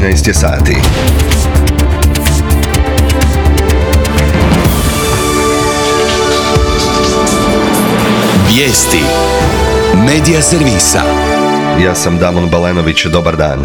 13 je sati. Vijesti Medija servisa. Ja sam Damon Balenović, dobar dan.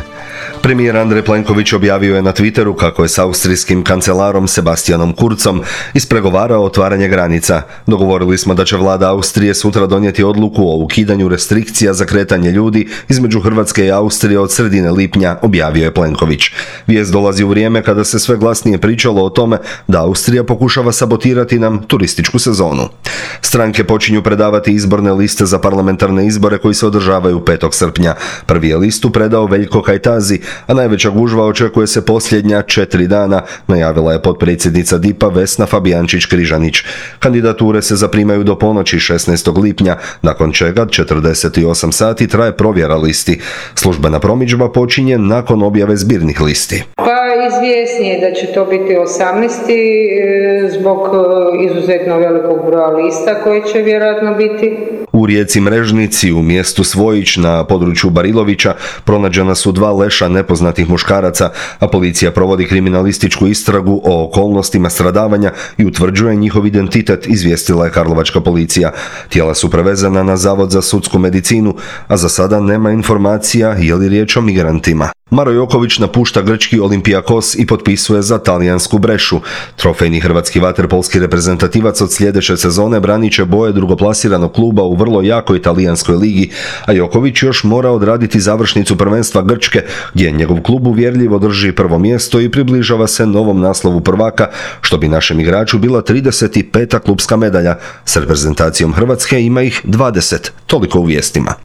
Premijer Andrej Plenković objavio je na Twitteru kako je s austrijskim kancelarom Sebastianom Kurzom ispregovarao otvaranje granica. Dogovorili smo da će vlada Austrije sutra donijeti odluku o ukidanju restrikcija za kretanje ljudi između Hrvatske i Austrije od sredine lipnja, objavio je Plenković. Vijest dolazi u vrijeme kada se sve glasnije pričalo o tome da Austrija pokušava sabotirati nam turističku sezonu. Stranke počinju predavati izborne liste za parlamentarne izbore koji se održavaju 5. srpnja. Prvi je listu predao Veljko Kajtazi, a najveća gužva očekuje se posljednja 4 dana, najavila je potpredsjednica DIP-a Vesna Fabijančić-Križanić. Kandidature se zaprimaju do ponoći 16. lipnja, nakon čega 48 sati traje provjera listi. Službena promidžba počinje nakon objave zbirnih listi. Izvjesnije da će to biti 18. zbog izuzetno velikog broja lista koji će vjerojatno biti. U rijeci Mrežnici u mjestu Svojić na području Barilovića pronađena su 2 leša nepoznatih muškaraca, a policija provodi kriminalističku istragu o okolnostima stradavanja i utvrđuje njihov identitet, izvijestila je karlovačka policija. Tijela su prevezena na Zavod za sudsku medicinu, a za sada nema informacija je li riječ o migrantima. Maro Joković napušta grčki Olympiakos i potpisuje za talijansku Brešu. Trofejni hrvatski vaterpolski reprezentativac od sljedeće sezone branit će boje drugoplasiranog kluba u vrlo jakoj talijanskoj ligi, a Joković još mora odraditi završnicu prvenstva Grčke, gdje njegov klub uvjerljivo drži prvo mjesto i približava se novom naslovu prvaka, što bi našem igraču bila 35. klubska medalja. S reprezentacijom Hrvatske ima ih 20. Toliko u vijestima.